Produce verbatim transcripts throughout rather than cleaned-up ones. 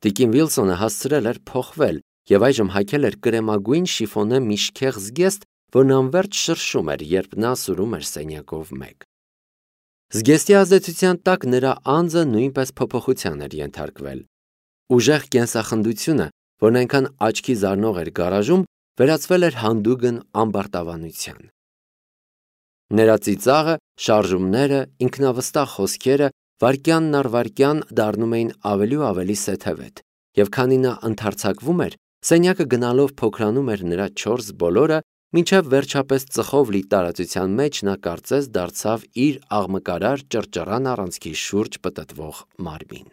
Տիկին Վիլսոնը հասցրել էր փոխվել եւ այժմ հագել էր կրեմագույն շիֆոնե միշքեղ զգեստ, որն անվերջ շրշում էր, երբ նա սուրում էր սենյակով մեկ։ Զգեստի ազդեցության տակ նրա անձը նույնպես փոփոխության էր ենթարկվել։ Ուժեղ կենսախնդությունը, որն այնքան աչքի զարնող էր գարաժում, վերածվել էր հանդուգն ամբարտավանության։ Նրա ծիծաղը, շարժումները, ինքնավստահ խոսքերը վայրկյանն առ վայրկյան դառնում էին ավելի ու ավելի սեթևետ, եւ քանի նա ընդարձակվում էր, սենյակը գնալով փոքրանում էր նրա չորս բոլորը, մինչև վերջապես ծխով լի տարածության մեջ նա կարծես դարձավ իր աղմկարար ճռճռան առանցքի շուրջ պտտվող մարմին։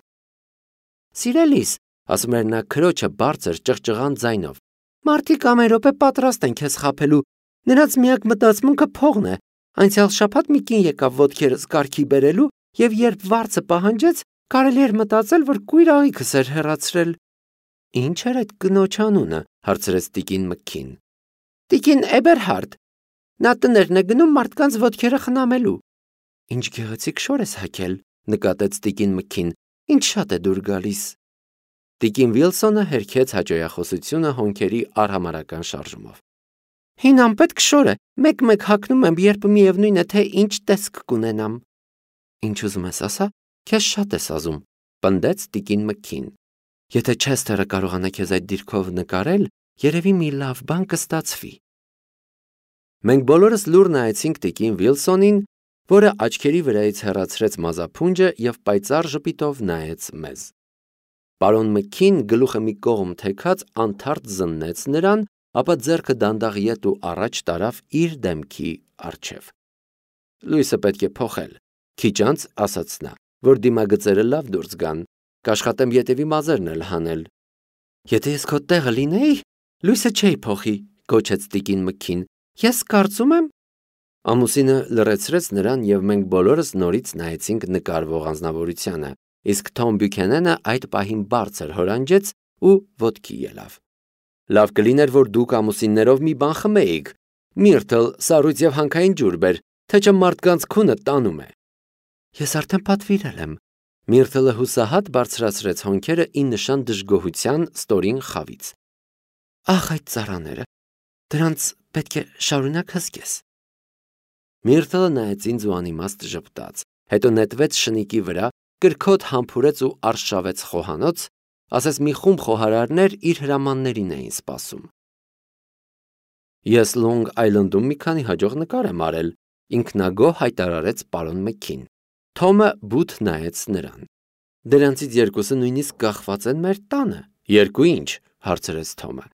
Սիրելիս, ասում էր նա քրոջը բարձր ճղճղան ձայնով, մարդիկ ամեն րոպե պատրաստ են քեզ խաբելու, նրանց միակ մտածմունքը փողն է, անցյալ շաբաթ մի կին եկավ ոտքերս կարգի բերելու, եւ երբ վարձը պահանջեց, կարելի էր մտածել, որ կույր աղիքս էր հեռացրել։ Ինչ էր այդ կնոջ անունը, հարցրեց տիկին Մքքին։ Տիկին Էբերհարդ, նա տներն է գնում մարդկանց ոտքերը խնամելու։ Ինչ գեղեցիկ շոր ես հագել, նկատեց տիկին Մքքին, ինչ շատ է դուր գալիս։ Տիկին Վիլսոնը հերքեց հաճոյախոսությունը հոնքերի արհամարական շարժումով։ Հին անպետք շոր է, մեկ-մեկ հագնում եմ, երբ միևնույն է, թե ինչ տեսք կունենամ։ Ինչ ուզում ես ասա, քեզ շատ ես ազում, պնդեց տիկին Մքքին։ Եթե Չեսթերը կարողանա քեզ այդ դիրքով նկարել, երևի մի լավ բան կստացվի։ Մենք բոլորս լուր նայեցինք տիկին Վիլսոնին, որը աչքերի վրայից հեռացրեց մազափունջը եւ պայծառ ժպիտով նայեց մեզ։ Պարոն Մքքին գլուխը մի կողմ թեքած անթարթ զննեց նրան, ապա ձեռքը դանդաղ ետ ու առաջ տարավ իր դեմքի առջև։ Լույսը պետք է փոխել, քիչ անց ասաց նա, որ դիմագծերը լավ դուրս գան, կաշխատեմ ետևի մազերն էլ հանել։ Եթե ես քո տեղը լինեի, լույսը չէի փոխի, գոչեց տիկին Մքքին։ Ես կարծում եմ։ Ամուսինը լրացրեց նրան եւ մենք բոլորս նորից նայեցինք նկարվող անձնավորությանը, իսկ Թոմ Բյուքենենը այդ պահին բարձր հորանջեց ու ոտքի ելավ։ Լավ կլիներ, որ դուք ամուսիններով մի բան խմեիք։ Միրթլ, սառույց եւ հանքային ջուր բեր, թե չէ մարդկանց քունը տանում է։ Ես արդեն պատվիրել եմ։ Միրթլը հուսահատ բարձրացրեց հոնքերը ի նշան դժգոհության ստորին խավից։ Ահ, այդ ծառաները, դրանց պետք է շարունակ հսկես։ Միրթլը նայեց ինձ ու անիմաստ ժպտաց, հետո նետվեց շնիկի վրա, կրքոտ համբուրեց ու արշավեց խոհանոց, ասես մի խումբ խոհարարներ իր հրամաններին էին սպասում։ Ես Լոնգ Այլնդում մի քանի հաջող նկար եմ արել, ինքնագոհ հայտարարեց պարոն Մքքին։ Թոմը բութ նայեց նրան։ Դրանցից երկուսը նույնիսկ կախված են մեր տանը։ Երկու ինչ, հարցրեց Թոմը։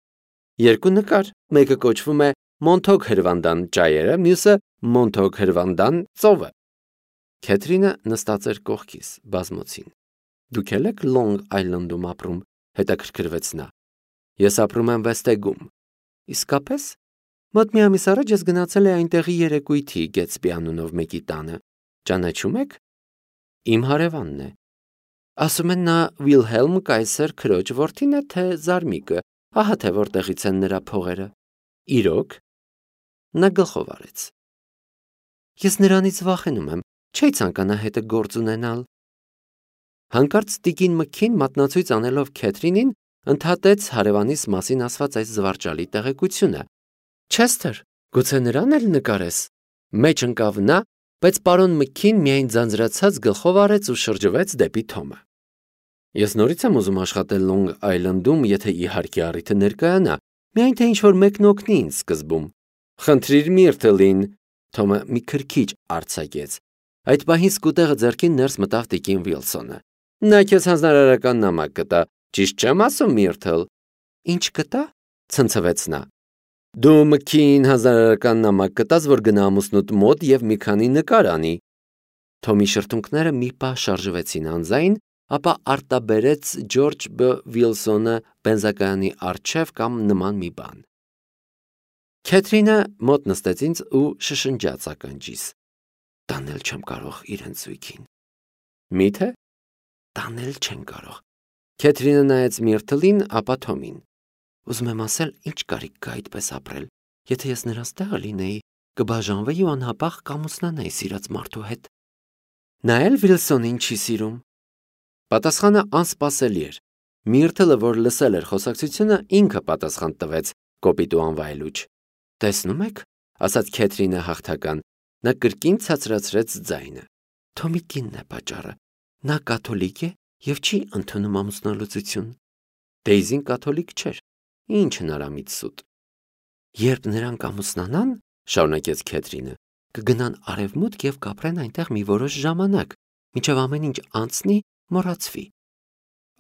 Երկու նկար, մեկը կոչվում է Մոնթոգ հրվանդան ճայերը, մյուսը Մոնթոգ հրվանդան ծովը։ Քեթրինը նստած էր կողքիս, բազմոցին։ Դուք եք Լոնգ Այլնդում ապրում, հետաքրքրվեց նա։ Ես ապրում եմ Վեսթեգում։ Իսկապես։ Մոտ մի ամիս առաջ ես գնացել եմ այնտեղի երեկույթի Գետսբի անունով մեկի տանը։ Ճանաչում եք։ Իմ հարևանն է։ Ասում են նա Վիլհելմ Կայսեր քրոջ որդին է, թե Զարմիկը, ահա թե որտեղից են նրա փողերը։ Իրոք։ Նա գլխով արեց։ Ես նրանից վախենում եմ, չի ցանկանա հետը գործ ունենալ։ Հանկարծ տիկին Մքքին մատնացույց անելով Քեթրինին, ընդհատեց հարևանիս մասին ասված այս զվարճալի տեղեկությունը։ Չեսթեր, գուցե նրան էլ նկարես։ Մեջ ընկավ նա, բայց պարոն Մքքին միայն ձանձրացած գլխով արեց ու շրջվեց դեպի Թոմը։ Ես նորից եմ ուզում աշխատել Լոնգ Այլնդում, եթե իհարկե առիթը ներկայանա, միայն թե ինչ-որ մեկն օգնի ինձ սկզբում։ Խնդրիր Միրթլին, Թոմը մի քրքիջ արձակեց։ Այդ պահին սկուտեղը ձեռքին ներս մտավ տիկին Վիլսոնը։ Նա քեզ հանձնարարական նամակ կտա, ճիշտ չեմ ասում, Միրթլ։ Ինչ կտա, ցնցվեց նա։ Դու Մքքին հանձնարարական նամակ կտաս, որ գնա ամուսնուդ մոտ եւ մի քանի նկար անի։ Թոմի շրթունքները մի պահ շարժվեցին անձայն, ապա արտաբերեց Ջորջ Բ. Վիլսոնը բենզակայանի առջև կամ նման մի բան։ Քեթրինը մոտ նստեց ինձ ու շշնջաց ականջիս։ Տանել չեմ կարող իրեն զույգին։ Միթե։ Տանել չեն կարող։ Քեթրինը նայեց Միրթլին, ապա Թոմին։ Ուզում եմ ասել, ինչ կարիք կա այդպես ապրել։ Եթե ես նրանց տեղը լինեի, կբաժանվեի ու անհապաղ կամուսնանայի սիրած մարդու հետ։ Նա էլ Վիլսոնին չի սիրում։ Պատասխանը անսպասելի էր։ Միրթլը, որ լսել էր խոսակցությունը, ինքը պատասխան տվեց կոպիտ ու անվայելուչ։ Տեսնում եք, ասաց Քեթրինը հաղթական, նա կրկին ցածրացրեց ձայնը։ Թոմի կինն է պատճառը։ Նա կաթոլիկ է եւ չի ընդունում ամուսնալուծություն։ Դեյզին կաթոլիկ չէր։ Ինչ հնարամիտ սուտ։ Երբ նրանք ամուսնանան, շարունակեց Քեթրինը, կգնան արևմուտք եւ կապրեն այնտեղ մի որոշ ժամանակ, մինչեւ ամեն ինչ անցնի, մոռացվի։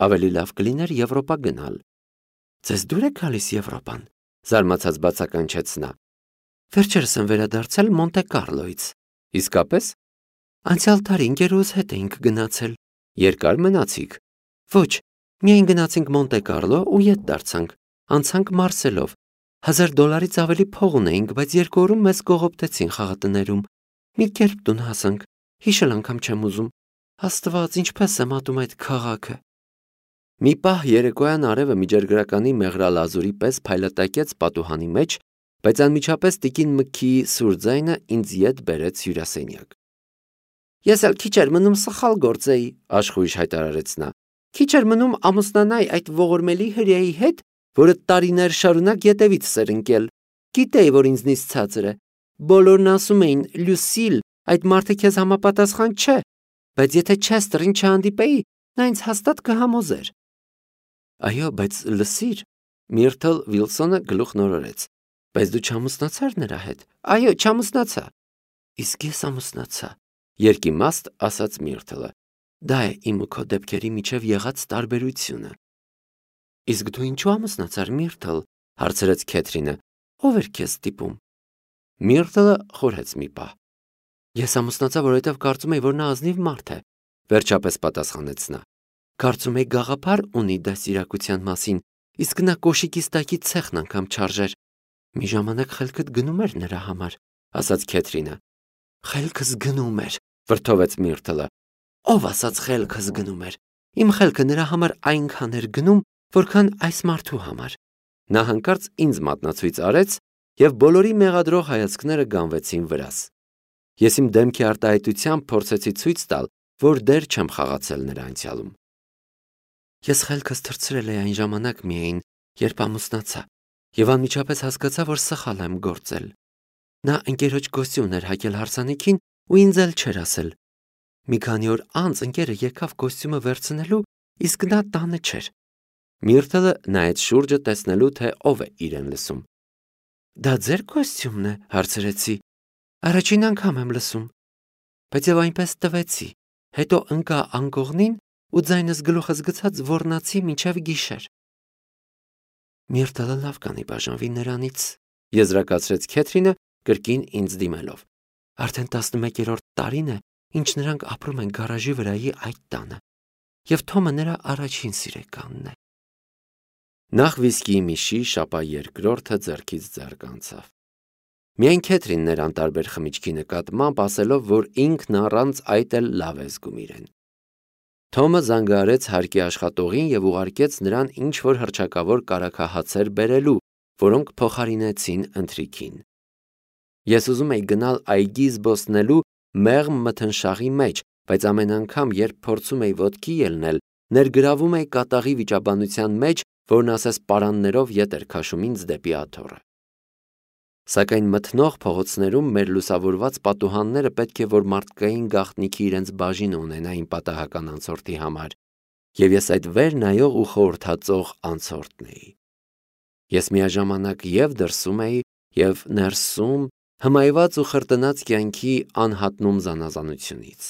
Ավելի լավ կլիներ Եվրոպա գնալ։ Ձեզ դուր է գալիս Եվրոպան, զարմացած բացականչեց նա։ Վերջերս եմ վերադարձել Մոնտե Կարլոից։ Իսկապես։ Անցյալ տարի ընկերուհուս հետ էինք գնացել։ Երկար մնացիք։ Ոչ, միայն գնացինք Մոնտե Կարլո ու ետ դարձանք։ Անցանք Մարսելով։ Հազար դոլարից ավելի փող ունեինք, բայց երկու օրում մեզ կողոպտեցին խաղատներում։ Մի կերպ տուն հասանք։ Հիշել անգամ չեմ ուզում։ Աստված, ինչպես եմ ատում այդ քաղաքը։ Մի պահ երեկոյան արևը միջերգրականի մեղրալազուրի պես փայլատակեց պատուհանի մեջ, բայց անմիջապես տիկին Մքիի սուր ձայնը ինձ ետ բերեց հյուրասենյակ։ Ես էլ քիչ էր մնում սխալ գործեի, աշխույժ հայտարարեց նա։ Քիչ էր մնում ամուսնանայի այդ ողորմելի հրեայի հետ, որը տարիներ շարունակ ետևից էր ընկել։ Գիտեի, որ ինձնից ցածր է։ Բոլորն ասում էին, Լյուսիլ, այդ մարդը քեզ համապատասխան չէ, բայց եթե Չեստրին չհանդիպեի, նա ինձ հաստատ կհամոզեր։ Այո, բայց լսիր, Միրթլ Վիլսոնը գլուխ նորորեց։ Բայց դու չամուսնացար նրա հետ։ Այո, չամուսնացա։ Իսկ ես ամուսնացա, երկիմաստ ասաց Միրթլը։ Դա է իմ ու քո դեպքերի միջև եղած տարբերությունը։ Իսկ դու ինչու ամուսնացար, Միրթլ, հարցրեց Քեթրինը։ Ո՞վ էր քեզ ստիպում։ Միրթլը խորհեց մի պահ։ Ես ամուսնացա, որովհետև կարծում էի, որ նա ազնիվ մարդ է, վերջապես պատասխանեց նա։ Կարծում էի գաղափար ունի դաստիարակության մասին, իսկ նա կոշիկից տակի ցեխն անգամ չարժեր։ Մի ժամանակ խելքդ գնում էր նրա համար, ասաց Քեթրինը։ Խելքս գնում էր, վրդովեց Միրթլը։ Ով ասաց խելքս գնում էր։ Իմ խելքը նրա համար այնքան էր գնում, որքան այս մարդու համար։ Նա հանկարծ ինձ մատնացույց արեց, եւ բոլորի մեղադրող հայացքները գանվեցին վրաս։ Ես իմ դեմքի արտահայտությամբ փորձեցի ցույց տալ, որ դեռ չեմ խաղացել նրա անցյալում։ Ես խելքս թռցրել էի այն ժամանակ միայն, երբ ամուսնացա, եւ անմիջապես հասկացա, որ սխալ եմ գործել։ Նա ընկերոջ կոստյում էր հագել հարսանիքին ու ինձ էլ չէր ասել։ Մի քանի օր անց ընկերը եկավ կոստյումը վերցնելու, իսկ նա տանը չէր։ Միրթլը նայեց շուրջը տեսնելու, թե ով է իրեն լսում։ Դա ձեր կոստյումն է, հարցրեցի։ Առաջին անգամ եմ լսում։ Բայց եւ այնպես տվեցի։ Հետո ընկա անկողնին ու ձայնս գլուխս գցած ոռնացի մինչև գիշեր։ Միրթլը լավ կանի բաժանվի նրանից, եզրակացրեց Քեթրինը կրկին ինձ դիմելով։ Արդեն տասնմեկերորդ տարին է, ինչ նրանք ապրում են գարաժի վրայի այդ տանը, եւ Թոմը նրա առաջին սիրեկանն է։ Նախ վիսկիի մի շիշ, ապա երկրորդը ձեռքից ձեռք անցավ։ Միայն Քեթրինն էր անտարբեր խմիչքի նկատմամբ, ասելով, որ ինքն առանց այդ էլ լավ է զգում իրեն։ Թոմը զանգահարեց հարկի աշխատողին եւ ուղարկեց նրան ինչ-որ հռչակավոր կարագահացեր բերելու, որոնք փոխարինեցին ընթրիքին։ Ես ուզում էի գնալ այգի զբոսնելու մեղմ մթնշաղի մեջ, բայց ամեն անգամ, երբ փորձում էի ոտքի ելնել, ներգրավում էի կատաղի վիճաբանության մեջ, որն ասես պարաններով ետ էր քաշում ինձ դեպի աթոռը։ Սակայն մթնող փողոցներում մեր լուսավորված պատուհանները պետք է որ մարդկային գաղտնիքի իրենց բաժինը ունենային պատահական անցորդի համար, եւ ես այդ վեր նայող ու խորհրդածող անցորդն էի։ Ես միաժամանակ եւ դրսում էի, եւ ներսում, հմայված ու խրտնած կյանքի անհատնում զանազանությունից։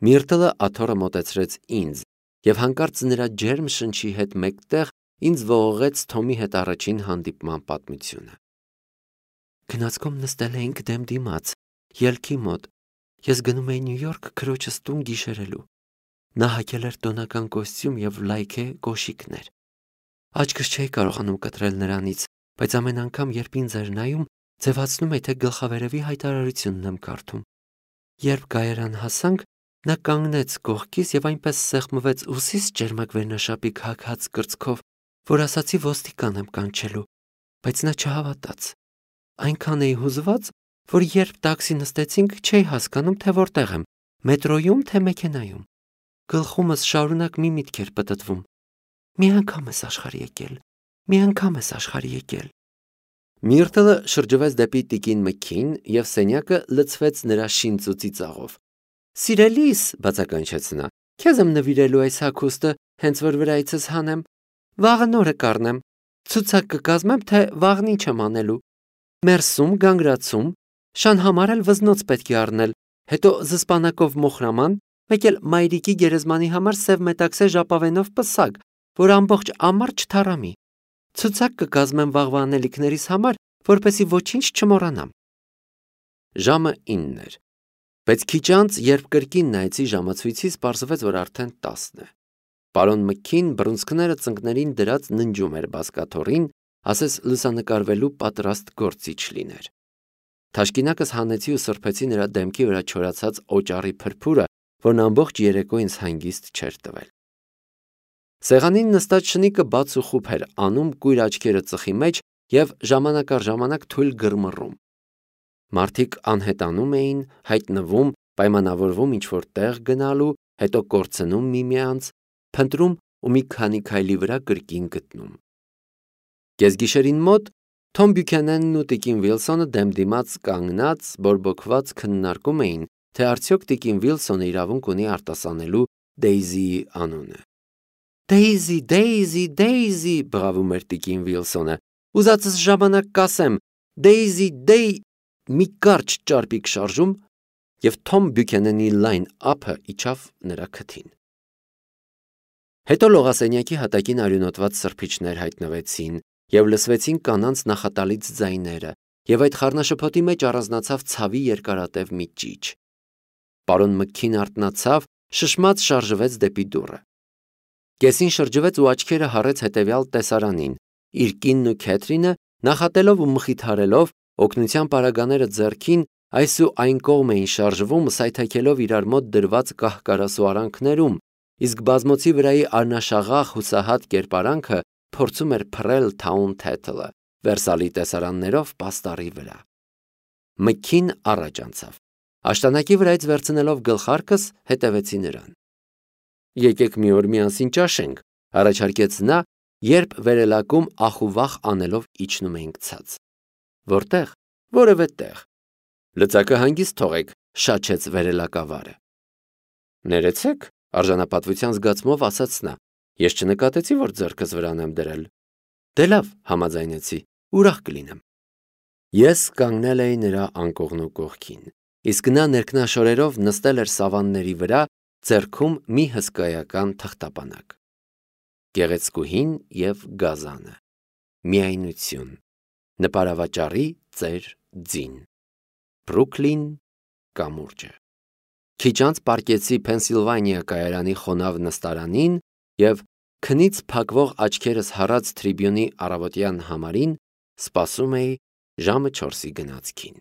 Միրթլը աթոռը մոտեցրեց ինձ, եւ հանկարծ նրա ջերմ շնչի հետ մեկտեղ ինձ ողողեց Թոմի հետ առաջին հանդիպման պատմությունը։ Գնացքում նստել էինք դեմ դիմաց, ելքի մոտ։ Ես գնում էի Նյու Յորք քրոջս տուն գիշերելու։ Նա հագել էր տոնական կոստյում եւ լայքե կոշիկներ։ Աչքս չէի կարողանում կտրել նրանից, բայց ամեն անգամ, երբ ինձ էր նայում, ձևացնում էի, թե գլխավերևի հայտարարությունն եմ կարդում։ Երբ Գայարան հասանք, նա կանգնեց կողքիս եւ այնպես սեղմվեց ուսիս ջերմակ վերնաշապիկ հագած կրծքով, որ ասացի ոստիկան եմ կանչելու, բայց նա չհավատաց։ Այնքան էի հուզված, որ երբ տաքսի նստեցինք, չէի հասկանում, թե որտեղ եմ, մետրոյում, թե մեքենայում։ Գլխումս շարունակ մի միտք էր պտտվում. մի անգամ ես աշխարհ եկել, մի անգամ ես աշխարհ եկել։ Միրտլը շրջվեց դեպի տիկին Մքին և սենյակը լցվեց նրա շինծու ծիծաղով։ Սիրելիս, բացականչեց նա, քեզ եմ նվիրելու այս հագուստը, հենց որ վրայիցս հանեմ։ Վաղը նորը կառնեմ։ Ցուցակ կկազմեմ, թե վաղն ինչ եմ անելու։ Մերսում, գանգրացում, շան համար էլ վզնոց պետք է առնել, հետո զսպանակով մոխրաման, մեկ էլ մայրիկի գերեզմանի համար սև մետաքսե ժապավենով պսակ, որ ամբողջ ամառ չթառամի։ Ցուցակ կկազմեմ վաղվա անելիքներիս համար, որպեսզի ոչինչ չմոռանամ։ Ժամը ինն էր։ Բայց քիչ անց, երբ կրկին նայեցի ժամացույցից, պարզվեց, որ արդեն տասն է։ Պարոն Մքին բռունցքները ծնկներին դրած ննջում էր բազկաթոռին, ասես լուսանկարվելու պատրաստ գործիչ լիներ։ Թաշկինակս հանեցի ու սրբեցի նրա դեմքի վրա չորացած օճառի փրփուրը, որն ամբողջ երեկո ինձ հանգիստ չէր տվել։ Սեղանին նստած շնիկը բաց ու խուփ էր անում, կույր աչքերը ծխի մեջ և ժամանակ առ ժամանակ թույլ գրմռում։ Մարդիկ անհետանում էին, հայտնվում, պայմանավորվում ինչ-որ տեղ գնալու, հետո կորցնում միմյանց, փնտրում ու մի քանի քայլի վրա կրկին գտնում։ Կեսգիշերին մոտ Թոմ Բյուքենենն ու տիկին Վիլսոնը դեմ դիմաց կանգնած բորբոքված քննարկում էին, թե արդյոք տիկին Վիլսոնը իրավունք ունի արտասանելու Դեյզիի անունը։ Դեյզի, Դեյզի, Դեյզի, բղավում էր տիկին Վիլսոնը։ Ուզածս ժամանակ կասեմ, Դեյզի, Դեյ, մի կարճ ճարպիկ շարժում, և Թոմ Բյուքենենի լայն ափը իջավ նրա քթին։ Հետո լողասենյակի հատակին արյունոտված սրբիչներ հայտնվեցին, և լսվեցին կանանց նախատալից ձայները, և այդ խառնաշփոթի մեջ առանձնացավ ցավի երկարատև մի ճիչ։ Պարոն Մքին արթնացավ, շշմած շարժվեց դեպի դուռը։ Կեսին շրջվեց ու աչքերը հառեց հետևյալ տեսարանին. իր կինն ու Քեթրինը նախատելով ու մխիթարելով, օգնության պարագաները ձեռքին, այս ու այն կողմ էին շարժվում, սայթաքելով իրար մոտ դրված կահ-կարասու արանքներում, իսկ բազմոցի վրայի արնաշաղախ հուսահատ կերպարանքը փորձում էր փռել Թաուն-Թեթլը, Վերսալի տեսարաններով պաստառի վրա։ Մքին առաջ անցավ։ Աշտանակի վրայից վերցնելով գլխարկս, հետևեցի նրան։ Եկեք մի օր միասին ճաշենք, առաջարկեց նա, երբ վերելակում ախուվախ անելով իջնում էինք ցած։ Որտեղ։ Որևէ տեղ։ Լծակը հանգիստ թողեք, շաչեց վերելակավարը։ Ներեցեք, արժանապատվության զգացմով ասաց նա։ Ես չնկատեցի, որ ձեռքս վրան եմ դրել։ Դե լավ, համաձայնեցի, ուրախ կլինեմ։ Ես կանգնել էի նրա անկողնու կողքին, իսկ նա ներքնաշորերով նստել էր սավանների վրա, ձեռքում մի հսկայական թղթապանակ։ Գեղեցկուհին և գազանը։ Միայնություն։ Նպարավաճառի ծեր ձին։ Բրուքլին կամուրջը։ Քիչ անց պառկեցի Փենսիլվանիա կայարանի խոնավ նստարանին և քնից փակվող աչքերս հառած Թրիբյունի առավոտյան համարին սպասում էի ժամը չորսի գնացքին։